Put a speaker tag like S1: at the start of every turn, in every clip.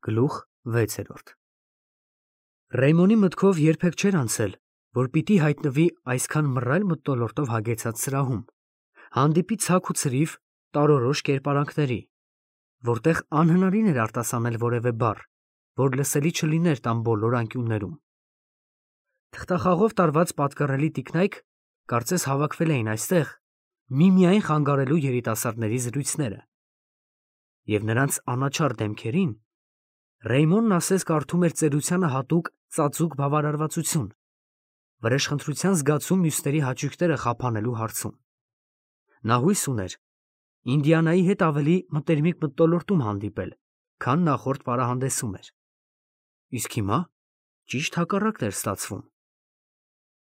S1: Գլուխ 6 Ռեյմոնի մտքով երբեք չէր անցել, որ պիտի հայտնվի այսքան մռայլ մթնոլորտով հագեցած սրահում, հանդիպի ցակ ու ցրիվ տարորոշ կերպարանքների, որտեղ անհնարին էր արտասանել որևէ բառ, որ լսելի չլիներ տան բոլոր անկյուններում։ Թղթախաղով տարված պատկառելի տիկնայք կարծես հավաքվել էին այստեղ միմիայն խանգարելու երիտասարդների զրույցները, և նրանց անաչառ դեմքերին Ռեյմոնն ասես կարդում էր ծերությանը հատուկ ծածուկ բավարարվածություն, վրեժխնդրության զգացում մյուսների հաճույքները խափանելու հարցում։ Նա հույս ուներ Ինդիանայի հետ ավելի մտերմիկ մթնոլորտում հանդիպել, քան նախորդ պարահանդեսում էր։ Իսկ հիմա ճիշտ հակառակն էր ստացվում։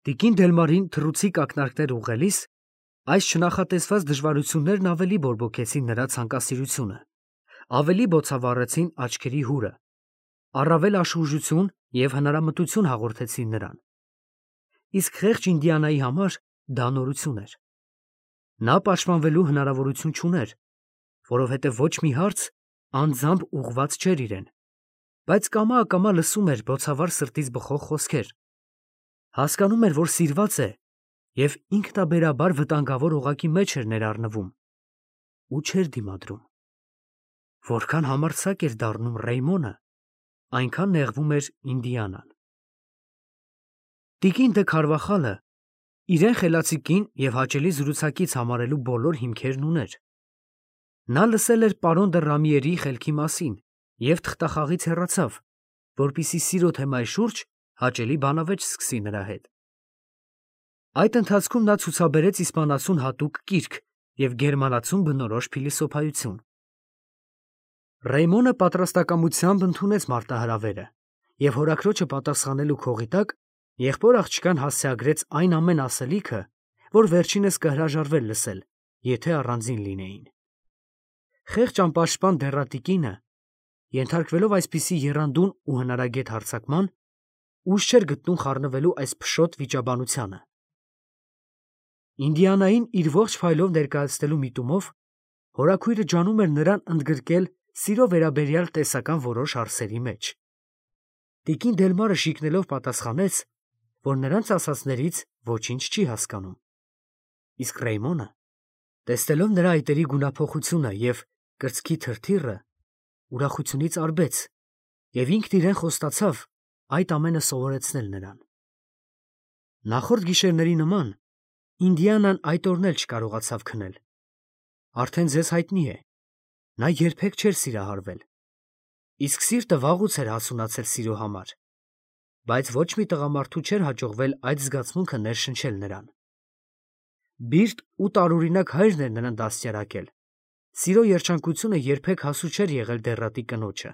S1: Տիկին Դելմարին թռուցիկ ակնարկներ ուղղելիս այս չնախատեսված դժվարություններն ավելի բորբոքեցին նրա ցանկասիրությունը, ավելի բոցավառեցին աչքերի հուրը, առավել աշխուժություն և հնարամտություն հաղորդեցին նրան։ Իսկ խեղճ Ինդիանայի համար դա նորություն էր։ Նա պաշտպանվելու հնարավորություն չուներ, որովհետև ոչ մի հարց անձամբ ուղղված չէր իրեն, բայց կամա-ակամա լսում էր բոցավառ սրտից բխող խոսքեր, հասկանում էր, որ սիրված է և ինքնաբերաբար վտանգավոր օղակի մեջ էր ներառնվում ու չէր դիմադրում։ Որքան համարձակ էր դառնում Ռեյմոնը, այնքան նեղվում էր Ինդիանան։ Տիկին դե Քարվախալը իրեն խելացի կին և հաճելի զրուցակից համարելու բոլոր հիմքերն ուներ։ Նա լսել էր պարոն դը Ռամիերի խելքի մասին և թղթախաղից հեռացավ, որպեսզի սիրո թեմայի շուրջ հաճելի բանավեճ սկսի նրա հետ։ Այդ ընթացքում նա ցուցաբերեց իսպանացուն հատուկ կիրք և գերմանացուն բնորոշ փիլիսոփայություն։ Ռեյմոնը պատրաստակամությամբ ընդունեց մարտահրավերը և հորաքրոջը պատասխանելու քողի տակ եղբոր աղջկան հասցեագրեց այն ամեն ասելիքը, որ վերջինս կհրաժարվեր լսել, եթե առանձին լինեին։ Խեղճ անպաշտպան դեռատիկինը, ենթարկվելով այսպիսի եռանդուն ու հնարագետ հարձակման, ուժ չէր գտնում խառնվելու այս փշոտ վիճաբանությանը։ Ինդիանային իր ողջ փայլով ներկայացնելու միտումով հորաքույրը ջանում էր նրան ընդգրկել սիրո վերաբերյալ տեսական որոշ հարցերի մեջ։ Տիկին Դելմարը շիկնելով պատասխանեց, որ նրանց ասածներից ոչինչ չի հասկանում։ Իսկ Ռեյմոնը, տեսնելով նրա այտերի գունափոխությունը և կրծքի թրթիռը, ուրախությունից արբեց և ինքն իրեն խոստացավ այդ ամենը սովորեցնել նրան։ Նախորդ գիշերների նման Ինդիանան այդ օրն էլ չկարողացավ քնել։ Արդեն ձեզ հայտնի է, նա երբեք չէր սիրահարվել, իսկ սիրտը վաղուց էր հասունացել սիրո համար, բայց ոչ մի տղամարդու չէր հաջողվել այդ զգացմունքը ներշնչել նրան։ Բիրտ ու տարօրինակ հայրն էր նրան դաստիարակել, սիրո երջանկությունը երբեք հասու չէր եղել դեռատի կնոջը։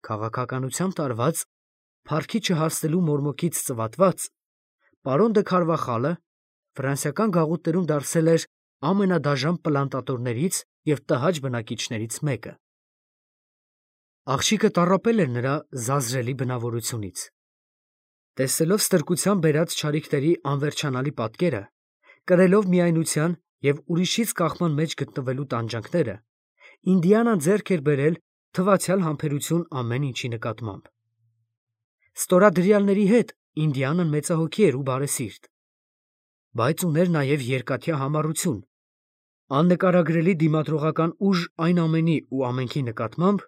S1: Քաղաքականությամբ տարված, փառքի չհասնելու մորմոքից ծվատված, պարոն դը Քարվախալը ֆրանսիական գաղութներում դարձել էր ամենադաժան պլանտատորներից և տհաճ բնակիչներից մեկը։ Աղջիկը տառապել էր նրա զազրելի բնավորությունից։ Տեսնելով ստրկության բերած չարիքների անվերջանալի պատկերը, կրելով միայնության և ուրիշից կախման մեջ գտնվելու տանջանքները, Ինդիանան ձեռք էր բերել թվացյալ համբերություն ամեն ինչի նկատմամբ։ Ստորադրյալների հետ Ինդիանան մեծահոգի էր ու բարեսիրտ, բայց ուներ նաև երկաթյա համառություն, աննկարագրելի դիմադրողական ուժ այն ամենի ու ամենքի նկատմամբ,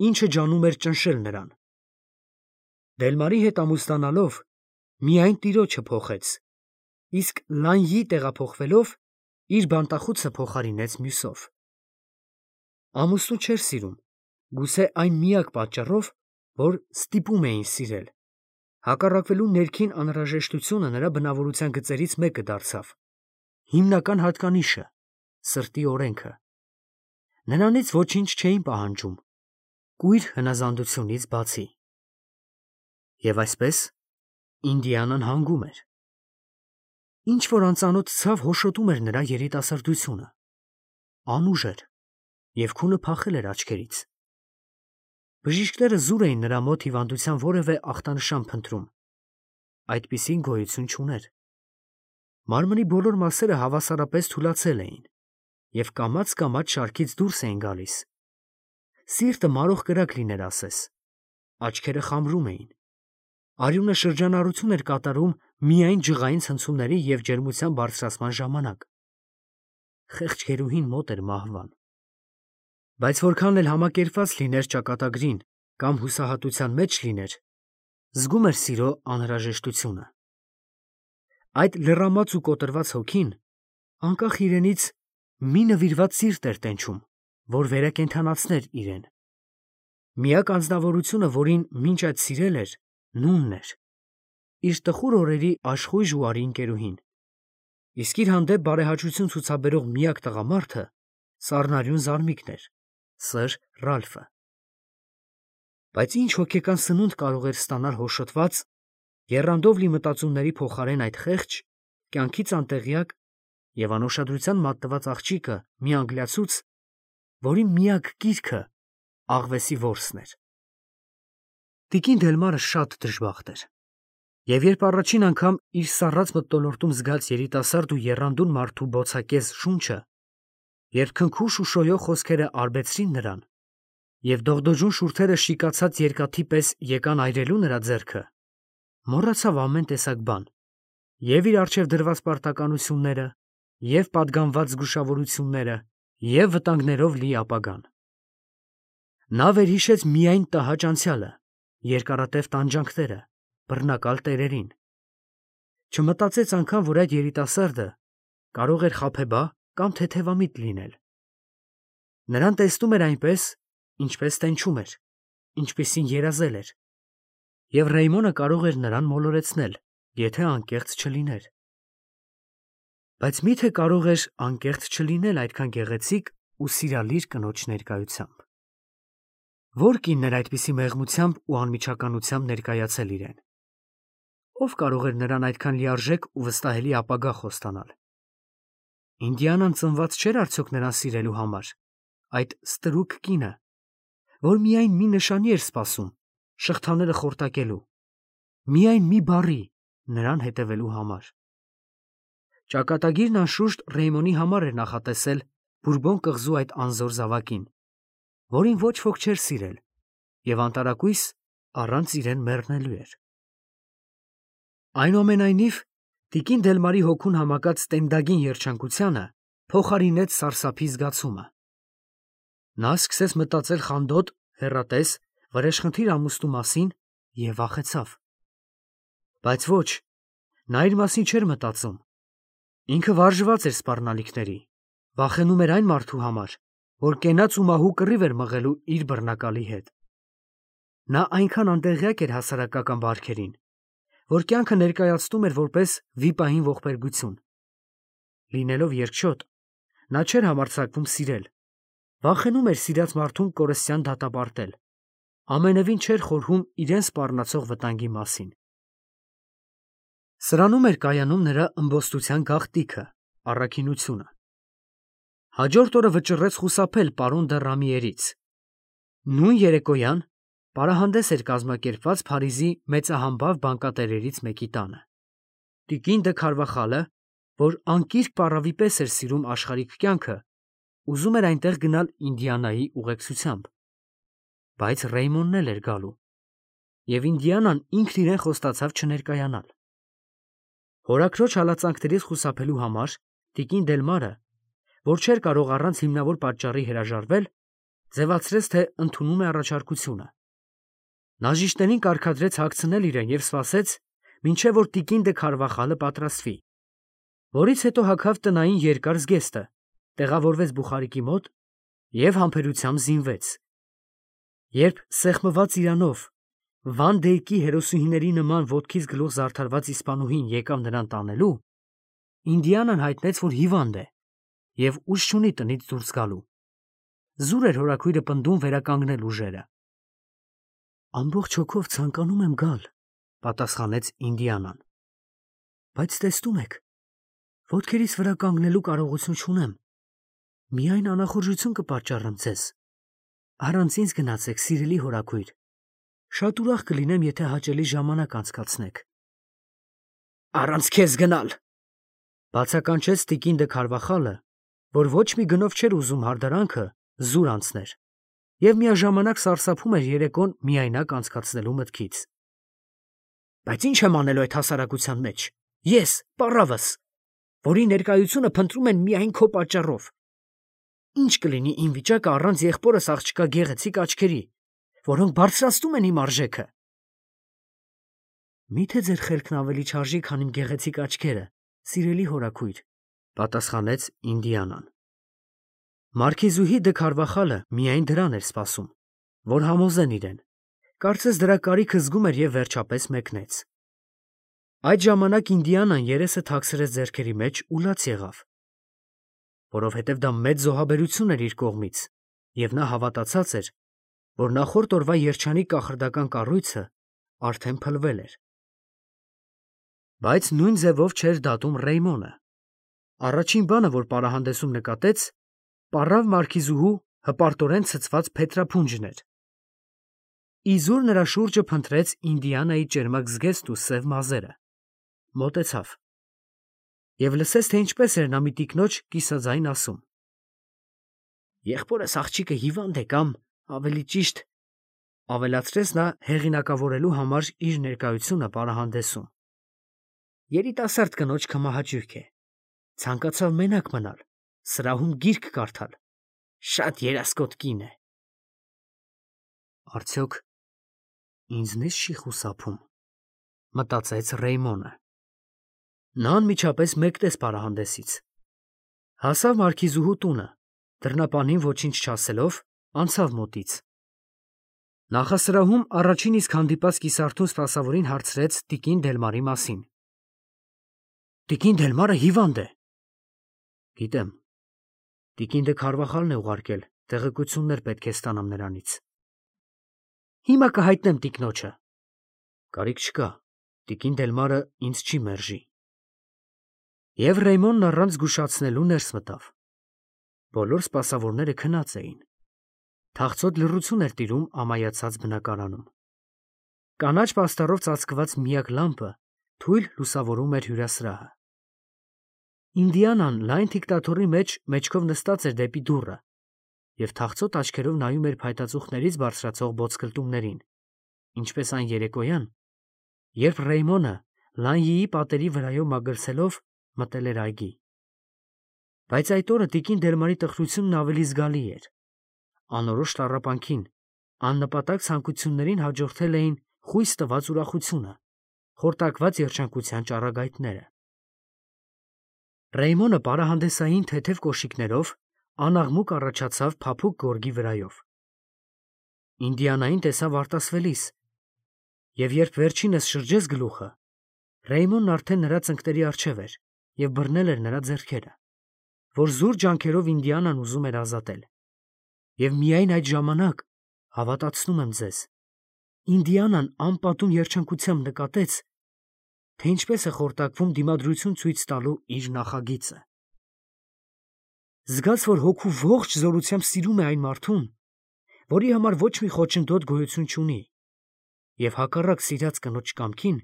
S1: ինչը ջանում էր ճնշել նրան։ Դելմարի հետ ամուսնանալով միայն տիրոջը փոխեց, իսկ Լանյի տեղափոխվելով իր բանտախուցը փոխարինեց մյուսով։ Ամուսնու չէր սիրում, գուցե այն միակ պատճառով, որ ստիպում էին սիրել։ Հակառակվելու ներքին անհրաժեշտությունը նրա բնավորության գծերից մեկը դարձավ, հիմնական հատկանիշը, սրտի օրենքը։ Նրանից ոչինչ չէին պահանջում, կույր հնազանդությունից բացի։ Եվ այսպես Ինդիանան հանգում էր։ Ինչ-որ անծանոթ ցավ հոշոտում էր նրա երիտասարդությունը, անուժ էր և քունը փախել էր աչքերից։ Բժիշկները զուր էին նրա մոտ հիվանդության որևէ ախտանշան փնտրում, այդպիսին գոյություն չուներ։ Մարմնի բոլոր մասերը հավասարապես թուլացել էին և կամաց-կամաց շարքից դուրս էին գալիս։ Սիրտը մարող կրակ լիներ ասես։ Աչքերը խամրում էին։ Արյունը շրջանառություն էր կատարում միայն ջղային ցնցումների և ջերմության բարձրացման ժամանակ։ Խեղճ գերուհին մոտ էր մահվան։ Բայց որքան էլ համակերպված լիներ ճակատագրին կամ հուսահատության մեջ լիներ, զգում էր սիրո անհրաժեշտությունը։ Այդ լռամած ու կոտրված հոգին, անկախ իրենից, մի նվիրված սիրտ էր տենչում, որ վերակենդանացներ իրեն։ Միակ անձնավորությունը, որին մինչ այդ սիրել էր, նունն էր, իր տխուր օրերի աշխույժ ու արի ընկերուհին, իսկ իր հանդեպ բարեհաճություն ցուցաբերող միակ տղամարդը սառնարյուն զարմիկն էր, Սըր Ռալֆը։ Բայց ինչ հոգեկան սնունդ կարող էր ստանալ հոշոտված, եռանդով լի մտածումների փոխարեն այդ խեղճ, կյանքից անտեղյակ և անուշադրության մատնված աղջիկը մի անգլիացուց, որի միակ կիրքը աղվեսի որսն էր։ Տիկին Դելմարը շատ դժբախտ էր, և երբ առաջին անգամ իր սառած մթնոլորտում զգաց երիտասարդ ու եռանդուն մարդու բոցակեզ շունչը, երբ քնքուշ ու շոյող խոսքերը արբեցրին նրան, և դողդոջուն շուրթերը շիկացած երկաթի պես եկան այրելու նրա ձեռքը, մոռացավ ամեն տեսակ բան, և իր առջև դրված պարտականությունները, և պատգամված զգուշավորությունները, և վտանգներով լի ապագան։ Նա վերհիշեց միայն տհաճ անցյալը, երկարատև տանջանքները, բռնակալ տերերին։ Չմտածեց անգամ, որ այդ երիտասարդը կարող էր խաբեբա կամ թեթևամիտ լինել։ Նրան տեսնում էր այնպես, ինչպես տենչում էր, ինչպիսին երազել էր, և Ռեյմոնը կարող էր նրան մոլորեցնել, եթե անկեղծ չլիներ։ Բայց մի՞թե կարող էր անկեղծ չլինել այդքան գեղեցիկ ու սիրալիր կնոջ ներկայությամբ։ Ո՞ր կինն էր այդպիսի մեղմությամբ ու անմիջականությամբ ներկայացել իրեն։ Ո՞վ կարող էր նրան այդքան լիարժեք ու վստահելի ապագա խոստանալ։ Ինդիանան ծնված չէր արդյոք նրան սիրելու համար, այդ ստրուկ կինը, որ միայն մի նշանի էր սպասում, շղթաները խորտակելու, միայն մի բառի նրան հետևելու համար։ Ճակատագիրն անշուշտ Ռեյմոնի համար էր նախատեսել Բուրբոն կղզու այդ անզոր զավակին, որին ոչ ոք չէր սիրել և անտարակույս առանց իրեն մեռնելու էր։ Այնուամենայնիվ, տիկին Դելմարի հոգուն համակած տենդագին երջանկությանը փոխարինեց սարսափի զգացումը։ Նա սկսեց մտածել խանդոտ, հեռատես, վրեժխնդիր ամուսնու մասին և վախեցավ։ Բայց ոչ, նա իր մասին չէր մտածում։ Ինքը վարժված էր սպառնալիքների, վախենում էր այն մարդու համար, որ կենաց ու մահու կռիվ էր մղելու իր բռնակալի հետ։ Նա այնքան անտեղյակ էր հասարակական բարքերին, որ կյանքը ներկայացնում էր որպես վիպային ողբերգություն։ Լինելով երկչոտ, նա չէր համարձակվում սիրել, վախենում էր սիրած մարդուն կորստյան դատապարտել, ամենևին չէր խորհում իրեն սպառնացող վտանգի մասին։ Սրանում էր կայանում նրա ըմբոստության գաղտնիքը, առաքինությունը։ Հաջորդ օրը վճռեց խուսափել պարոն դը Ռամիերից։ Նույն երեկոյան պարահանդես էր կազմակերպված Փարիզի մեծահամբավ բանկատերերից մեկի տանը։ Տիկին դը Քարվախալը, որ անկիրք պառավի պես էր սիրում աշխարհիկ կյանքը, ուզում էր այնտեղ գնալ Ինդիանայի ուղեկցությամբ։ Բայց Ռեյմոնն էլ էր գալու, և Ինդիանան ինքն իրեն խոստացավ չներկայանալ։ Հորաքրոջ հալածանքներից խուսափելու համար տիկին Դելմարը, որ չէր կարող առանց հիմնավոր պատճառի հրաժարվել, ձևացրեց, թե ընդունում է առաջարկությունը։ Նա ժիշտներին կարգադրեց հագցնել իրեն և սպասեց, մինչև որ տիկին դը Քարվախալը պատրաստվի, որից հետո հագավ տնային երկար զգեստը, տեղավորվեց բուխարիկի մոտ և համբերությամբ զինվեց։ Երբ սեղմված իրանով, Վան Դեյկի հերոսուհիների նման ոտքից գլուխ զարդարված իսպանուհին եկավ նրան տանելու, Ինդիանան հայտնեց, որ հիվանդ է և ուժ չունի տնից դուրս գալու։ Զուր էր հորաքույրը պնդում վերականգնել ուժերը։ Ամբողջ հոգով ցանկանում եմ գալ, պատասխանեց Ինդիանան, բայց տեսնում եք, ոտքերիս վրա կանգնելու կարողություն չունեմ, միայն անախորժություն կպատճառեմ ձեզ։ Առանց ինձ գնացեք, սիրելի հորաքույր, շատ ուրախ կլինեմ, եթե հաճելի ժամանակ անցկացնեք։ Առանց քեզ գնալ, բացականչեց տիկին դը Քարվախալը, որ ոչ մի գնով չէր ուզում հարդարանքը զուր անցներ, և միաժամանակ սարսափում էր երեկոն միայնակ անցկացնելու մտքից։ Բայց ինչ եմ անելու այդ հասարակության մեջ, ես, պառավս, որի ներկայությունը փնտրում են միայն քո պատճառով։ Ինչ կլինի իմ վիճակը առանց եղբորս աղջկա գեղեցիկ աչքերի, որոնք բարձրացնում են իմ արժեքը։ Միթե ձեր խելքն ավելի չարժի, քան իմ գեղեցիկ աչքերը, սիրելի հորաքույր, պատասխանեց Ինդիանան։ Մարքիզուհի դը Քարվախալը միայն դրան էր սպասում, որ համոզեն իրեն, կարծես դրա կարիքը զգում էր և վերջապես մեկնեց։ Այդ ժամանակ Ինդիանան երեսը թաքցրեց ձեռքերի մեջ ու լաց եղավ, որովհետև դա մեծ զոհաբերություն էր իր կողմից, և նա հավատացած էր, որ նախորդ օրվա երջանիկ կախարդական կառույցը արդեն փլվել էր։ Բայց նույն ձևով չէր դատում Ռեյմոնը։ Առաջին բանը, որ պարահանդեսում նկատեց, պառավ մարքիզուհու հպարտորեն ցցված փետրափունջն էր։ Իզուր նրա շուրջը փնտրեց Ինդիանայի ճերմակ զգեստ ու սև մազերը, մոտեցավ և լսեց, թե ինչպես էր նա մի տիկնոջ կիսաձայն ասում. «Եղբորս աղջիկը հիվանդ է կամ, ավելի ճիշտ, ավելացրեց նա հեղինակավորելու համար իր ներկայությունը պարահանդեսում. երիտասարդ կնոջ քմահաճույք է, ցանկացավ մենակ մնալ, սրահում գիրք կարդալ, շատ երասկոտ կին է»։ Արդյոք ինձնից չի խուսափում, մտածեց Ռեյմոնը։ Նա անմիջապես մեկնեց պարահանդեսից, հասավ մարքիզուհու տունը, դռնապանին ոչինչ չասելով, անցավ մոտից։ Նախասրահում առաջին իսկ հանդիպած կիսարթուն սպասավորին հարցրեց տիկին Դելմարի մասին։ Տիկին Դելմարը հիվանդ է։ Գիտեմ, տիկին դե Քարվախալն է ուղարկել, տեղեկություններ պետք է ստանամ նրանից։ Հիմա կհայտնեմ տիկնոջը։ Կարիք չկա, տիկին Դելմարը ինձ չի մերժի։ Եվ Ռեյմոնն առանց զգուշացնելու ներս մտավ։ Բոլոր սպասավորները քնած էին։ Թախծոտ լռություն էր տիրում ամայացած բնակարանում։ Կանաչ պաստառով ծածկված միակ լամպը թույլ լուսավորում էր հյուրասրահը։ Ինդիանան լայն թիկտաթոռի մեջ մեջքով նստած էր դեպի դուռը և թախծոտ աչքերով նայում էր փայտածուխներից բարձրացող բոցկլտումներին, ինչպես այն երեկոյան, երբ Ռեյմոնը Լանյիի պատերի վրայով մագլցելով մտել էր այգի։ Բայց այդ օրը տիկին Դելմարի տխրությունն ավելի զգալի էր։ Անորոշ տառապանքին, աննպատակ ցանկություններին հաջորդել էին խույս տված ուրախությունը, խորտակված երջանկության ճառագայթները։ Ռեյմոնը պարահանդեսային թեթև կոշիկներով անաղմուկ առաջացավ փափուկ գորգի վրայով։ Ինդիանային տեսավ արտասվելիս, և երբ վերջինս շրջեց գլուխը, Ռեյմոնն արդեն նրա ծնկների առջև էր և բռնել էր նրա ձեռքերը, որ զուր ջանքերով Ինդիանան ուզում էր ազատել։ Եվ միայն այդ ժամանակ, հավատացնում եմ ձեզ, Ինդիանան անպատում երջանկությամբ նկատեց, թե ինչպես է խորտակվում դիմադրություն ցույց տալու իր նախագիծը։ Զգաց, որ հոգու ողջ զորությամբ սիրում է այն մարդուն, որի համար ոչ մի խոչընդոտ գոյություն չունի, և հակառակ սիրած կնոջ կամքին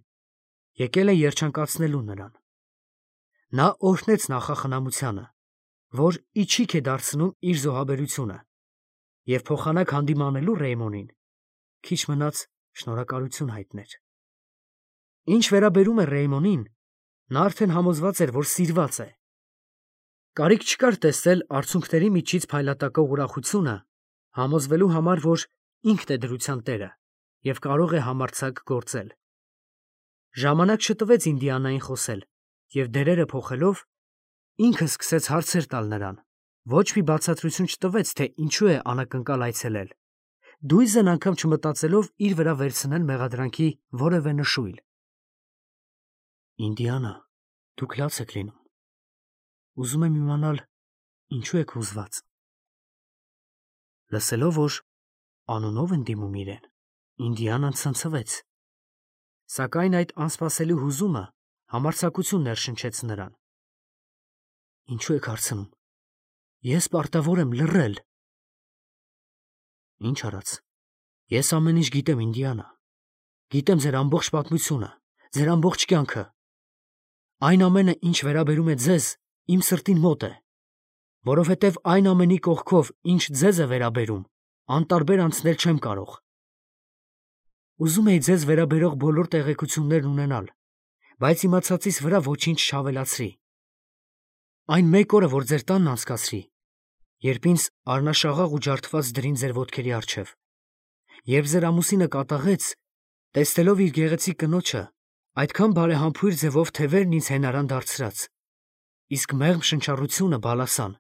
S1: եկել է երջանկացնելու նրան։ Նա օրհնեց նախախնամությանը, որ իչիք է դարձնում իր զոհաբերությունը, և փոխանակ հանդիմանելու Ռեյմոնին քիչ մնաց շնորհակալություն հայտներ։ Ինչ վերաբերում է Ռեյմոնին, նա արդեն համոզված էր, որ սիրված է։ Կարիք չկար տեսնել արցունքների միջից փայլատակող ուրախությունը, համոզվելու համար, որ ինքն է դրության տերը և կարող է համարձակ գործել։ Ժամանակ չտվեց Ինդիանային խոսել, և դերերը փոխելով, ինքը սկսեց հարցեր տալ նրան, ոչ մի բացատրություն չտվեց, թե ինչու է անակնկալ այցելել, դույզն անգամ չմտածելով իր վրա վերցնել մեղադրանքի որևէ նշույլ։ Ինդիանա, դուք լաց եք լինում։ Ուզում եմ իմանալ, ինչու եք հուզված։ Լսելով, որ անունով են դիմում իրեն, Ինդիանան ցնցվեց, սակայն այդ անսպասելի հուզումը համարձակություն ներշնչեց նրան։ Ինչու եք հարցնում։ Ես պարտավոր եմ լռել։ Ինչ արած։ Ես ամեն ինչ գիտեմ, Ինդիանա։ Գիտեմ ձեր ամբողջ պատմությունը, ձեր ամբողջ կյանքը։ Այն ամենը, ինչ վերաբերում է ձեզ, իմ սրտին մոտ է, որովհետև այն ամենի կողքով, ինչ ձեզ է վերաբերում, անտարբեր անցնել չեմ կարող։ Ուզում էի ձեզ վերաբերող բոլոր տեղեկություններն ունենալ, բայց իմացածից վրա ոչինչ չավելացրի։ Այն մեկ օրը, որ ձեր տանն անցկացրի, երբ ինձ առնաշաղաղ ու ջարդված դրին ձեր ոտքերի առջև, երբ ձեր ամուսինը կատաղեց, տեսնելով իր գեղեցիկ կնոջը, այդքան բարեհամբույր ձևով թևերն ինձ հենարան դարձրած, իսկ մեղմ շնչառությունը բալասան։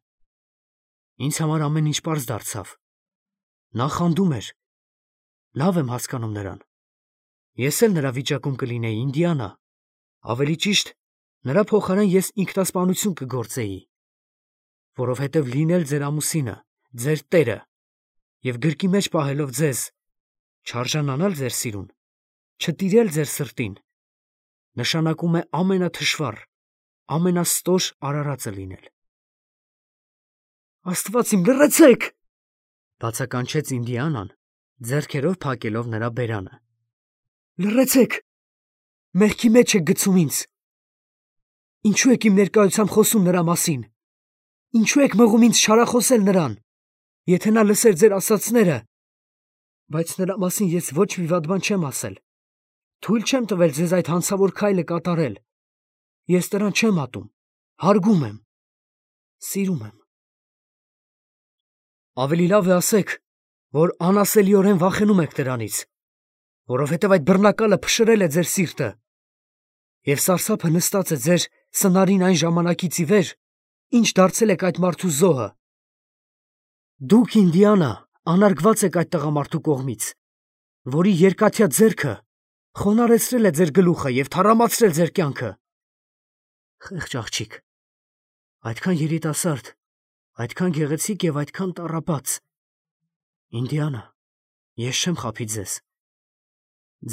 S1: Ինձ համար ամեն ինչ պարզ դարձավ։ Նա խանդում էր։ Լավ եմ հասկանում նրան։ Ես էլ նրա վիճակում կլինեի, Ինդիանա։ Ավելի ճիշտ, նրա փոխարեն ես ինքնասպանություն կգործեի, որովհետև լինել ձեր ամուսինը, ձեր տերը և գրկի մեջ պահելով ձեզ, չարժանանալ ձեր սիրուն, չտիրել ձեր սրտին, նշանակում է ամենաթշվառ, ամենաստոր արարածը լինել։ Աստված իմ, լռեցեք, բացականչեց Ինդիանան, ձեռքերով փակելով նրա բերանը։ Լռեցեք, մեղքի մեջ եք գցում ինձ։ Ինչու եք իմ ներկայությամբ խոսում նրա մասին։ Ինչու եք մղում ինձ չարախոսել նրան, եթե նա լսեր ձեր ասածները, բայց նրա մասին ես ոչ մի վատ բան չեմ ասել։ Թույլ չեմ տվել ձեզ այդ հանցավոր քայլը կատարել։ Ես նրան չեմ ատում, հարգում եմ, սիրում եմ։ Ավելի լավ է ասեք, որ անասելիորեն վախենում եք դրանից, որովհետև այդ բռնակալը փշրել է ձեր սիրտը, և սարսափը նստած է ձեր սնարին այն ժամանակից ի վեր, ինչ դարձել եք այդ մարդու զոհը։ Դուք, Ինդիանա, անարգված եք այդ տղամարդու կողմից, որի երկաթյա ձեռքը խոնարհեցրել է ձեր գլուխը և թառամացրել ձեր կյանքը։ Խեղճ աղջիկ, այդքան երիտասարդ, այդքան գեղեցիկ և այդքան տառապած։ Ինդիանա, ես չեմ խաբի ձեզ։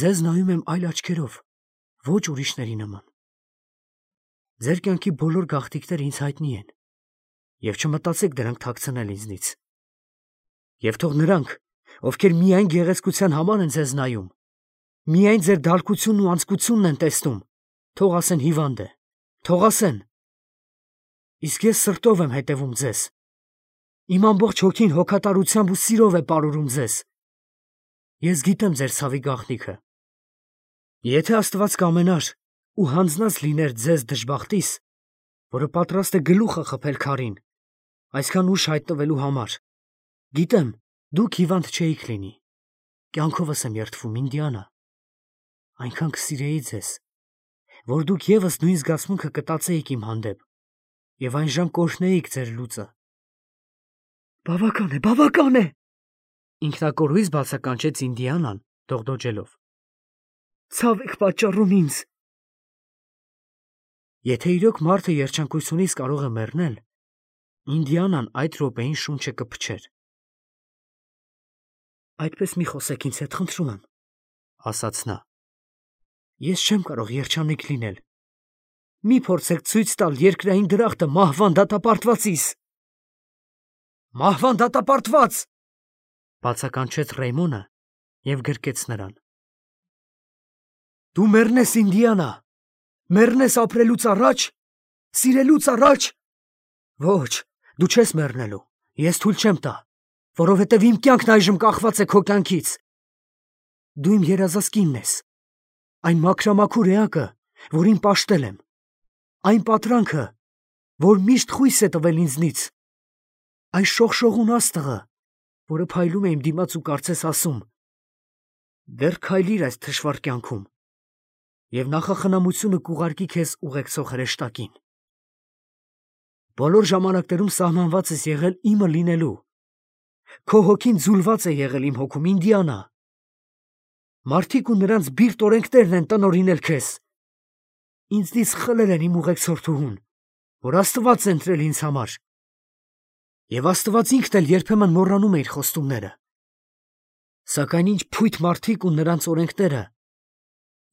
S1: Ձեզ նայում եմ այլ աչքերով, ոչ ուրիշների նման։ Ձեր կյանքի բոլոր գաղտնիքները ինձ հայտնի են, և չմտածեք դրանք թաքցնել ինձնից։ Եվ թող նրանք, ովքեր միայն գեղեցկության համար են ձեզ նայում, միայն ձեր դալկությունն ու անձկությունն են տեսնում, թող ասեն հիվանդ է, թող ասեն։ Իսկ ես սրտով եմ հետևում ձեզ։ Իմ ամբողջ հոգին հոգատարությամբ ու սիրով է պարուրում ձեզ։ Ես գիտեմ ձեր ցավի գաղտնիքը։ Եթե Աստված կամենար ու հանձնած լիներ ձեզ դժբախտիս, որը պատրաստ է գլուխը խփել քարին, այսքան ուշ հայտնվելու համար, գիտեմ, դուք հիվանդ չէիք լինի։ Կյանքովս եմ երդվում, Ինդիանա։ Այնքան կսիրեի ձեզ, որ դուք ևս նույն զգացմունքը կտածեիք իմ հանդեպ, և այն ժամ կօրհնեիք ձեր լուծը։ Բավական է, բավական է, ինքնակոռույս բացականչեց Ինդիանան, դողդոջելով։ Ցավ եք պատճառում ինձ։ Եթե իրոք մարդը երջանկությունից կարող է մեռնել, Ինդիանան այդ րոպեին շունչը կփչեր։ Այդպես մի խոսեք ինձ հետ, խնդրում եմ, ասաց նա։ Ես չեմ կարող երջանիկ լինել։ Մի փորձեք ցույց տալ երկրային դրախտը մահվան դատապարտվածիս։ Մահվան դատապարտված, բացականչեց Ռեյմոնը և գրկեց նրան։ Դու մեռնես, Ինդիանա, մեռնես ապրելուց առաջ, սիրելուց առաջ։ Ոչ, դու չես մեռնելու, ես թույլ չեմ տա, որովհետև իմ կյանքն այժմ կախված է քո կյանքից։ Դու իմ երազած կինն ես, այն մաքրամաքուր էակը, որին պաշտել եմ, այն պատրանքը, որ միշտ խույս է տվել ինձնից, այն շողշողուն աստղը, որը փայլում է իմ դիմաց ու կարծես ասում. դեռ քայլիր այս թշվառ կյանքում, և նախախնամությունը կուղարկի քեզ ուղեկցող հրեշտակին։ Բոլոր ժամանակներում սահմանված ես եղել իմը լինելու։ Քո հոգին ձուլված է եղել իմ հոգում, Ինդիանա։ Մարդիկ ու նրանց բիրտ օրենքներն են տնօրինել քեզ։ Ինձնից խլել են իմ ուղեկցորդուհուն, որ Աստված է ընտրել ինձ համար։ Եվ Աստված ինքն էլ երբեմն մոռանում է իր խոստումները։ Սակայն ինչ փույթ մարդիկ ու նրանց օրենքները,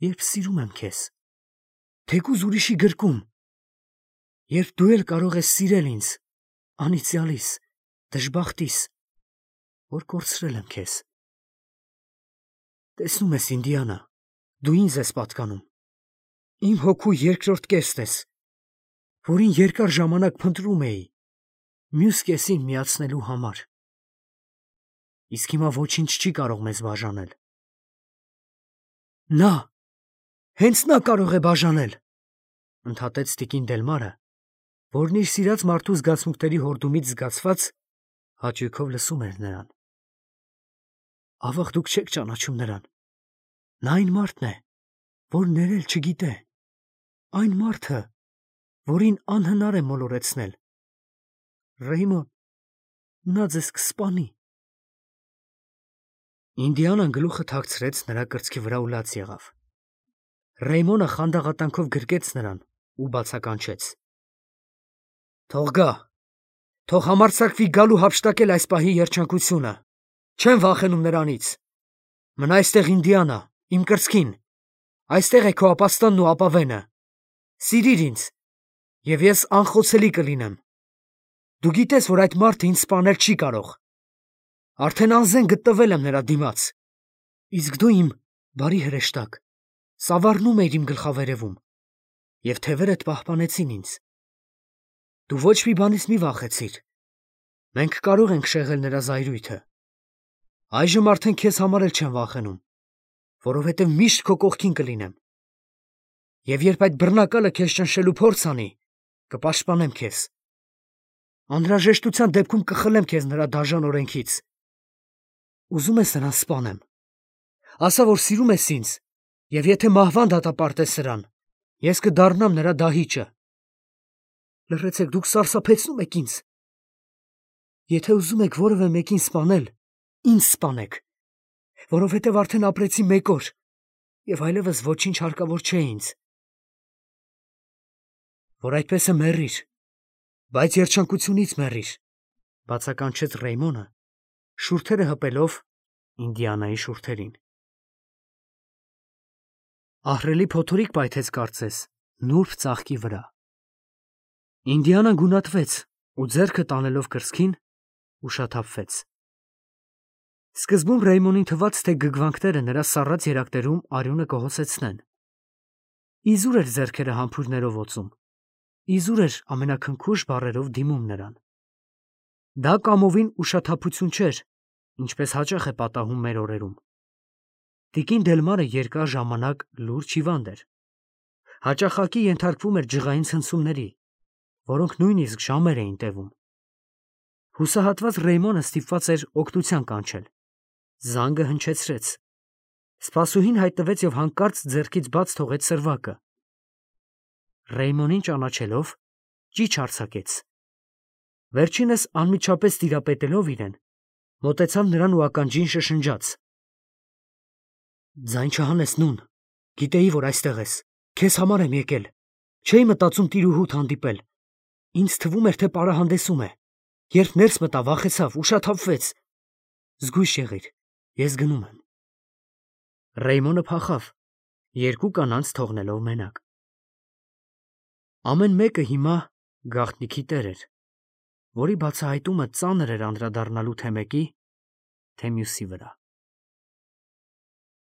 S1: երբ սիրում եմ քեզ, թեկուզ ուրիշի գրկում, երբ դու էլ կարող ես սիրել ինձ, անիծյալիս, դժբախտիս, որ կորցրել եմ քեզ։ Տեսնում ես, Ինդիանա, դու ինձ ես պատկանում, իմ հոգու երկրորդ կեսն ես, որին երկար ժամանակ փնտրում էի, մյուս կեսին միացնելու համար։ իսկ հիմա ոչինչ չի կարող մեզ բաժանել։ Նա, հենց նա կարող է բաժանել, ընդհատեց տիկին Դելմարը, որն իր սիրած մարդու զգացմունքների հորդումից զգացված հաճույքով լսում էր նրան։ Ավաղ դուք չեք ճանաչում նրան։ Նա այն մարդն է, որ ներել չգիտե, այն մարդը, որին անհնար է մոլորեցնել։ Ռեյմոն, նա ձեզ կսպանի։ Ինդիանան գլուխը թաքցրեց նրա կրծքի վրա ու լաց եղավ։ Ռեյմոնը խանդաղատանքով գրկեց նրան ու բացականչեց. Թող գա, թող համարձակվի գալ ու հափշտակել այս պահի երջանկությունը, չեմ վախենում նրանից։ Մնա այստեղ Ինդիանա, իմ կրծքին, այստեղ է քո ապաստանն ու ապավենը, սիրիր ինձ, և ես անխոցելի կլինեմ։ Դու գիտես, որ այդ մարդը ինձ սպանել չի կարող, արդեն անզեն գտնվել եմ նրա դիմաց, իսկ դու իմ բարի հրեշտակ, սավառնում էիր իմ գլխավերևում, և թևերդ պահպանեցին ինձ։ Դու ոչ մի բանից մի վախեցիր, մենք կարող ենք շեղել նրա զայրույթը։ Այժմ արդեն քեզ համար էլ չեմ վախենում, որովհետև միշտ քո կողքին կլինեմ։ Եվ երբ այդ բռնակալը քեզ ճնշելու փորձ անի, կպաշտպանեմ քեզ։ Անհրաժեշտության դեպքում կխլեմ քեզ նրա դաժան օրենքից։ Ուզում ես նրան սպանեմ։ Ասա, որ սիրում ես ինձ, և եթե մահվան դատապարտես սրան, ես կդառնամ նրա դահիճը։ Լռեցեք, դուք սարսափեցնում եք ինձ։ Եթե ուզում եք որևէ մեկին սպանել, ինձ սպանեք, որովհետև արդեն ապրեցի 1 օր, և այլևս ոչինչ հարկավոր չէ ինձ։ Որ այդպես է մեռիր, բայց երջանկությունից մեռիր, բացականչեց Ռեյմոնը, շուրթերը հպելով Ինդիանայի շուրթերին։ Ահռելի փոթորիկ պայթեց կարծես նուրբ ծաղկի վրա։ Ինդիանան գունատվեց ու ձեռքը տանելով կրծքին ուշաթափվեց։ Սկզբում Ռեյմոնին թվաց, թե գգվանքները նրա սառած երակներում արյունը կհոսեցնեն։ Իզուր էր ձեռքերը համբույրներով օծում, իզուր էր ամենաքնքուշ բառերով դիմում նրան։ Դա կամովին ուշաթափություն չէր, ինչպես հաճախ է պատահում մեր օրերում։ Տիկին Դելմարը երկար ժամանակ լուրջ հիվանդ էր։ Հաճախակի ենթարկվում էր ջղային ցնցումների, որոնք նույնիսկ ժամեր էին տևում։ Հուսահատված Ռեյմոնը ստիպված էր օգնության կանչել։ Զանգը հնչեցրեց։ Սպասուհին հայտնվեց և հանկարծ ձեռքից բաց թողեց սրվակը։ Ռեյմոնին ճանաչելով, ճիչ արձակեց։ Վերջինս անմիջապես տիրապետելով իրեն, մոտեցավ նրան ու ականջին շշնջաց. Ձայն չհանես, նուն, գիտեի, որ այստեղ ես, քեզ համար եմ եկել, չէի մտածում տիրուհուդ հանդիպել, ինձ թվում էր, թե պարահանդեսում է, երբ ներս մտա, վախեցավ, ուշաթափվեց, զգույշ եղիր, ես գնում եմ։ Ռեյմոնը փախավ, 2 կանանց թողնելով մենակ։ Ամեն մեկը հիմա գաղտնիքի տեր էր, որի բացահայտումը ծանր էր անդրադառնալու թե մեկի, թե մյուսի վրա։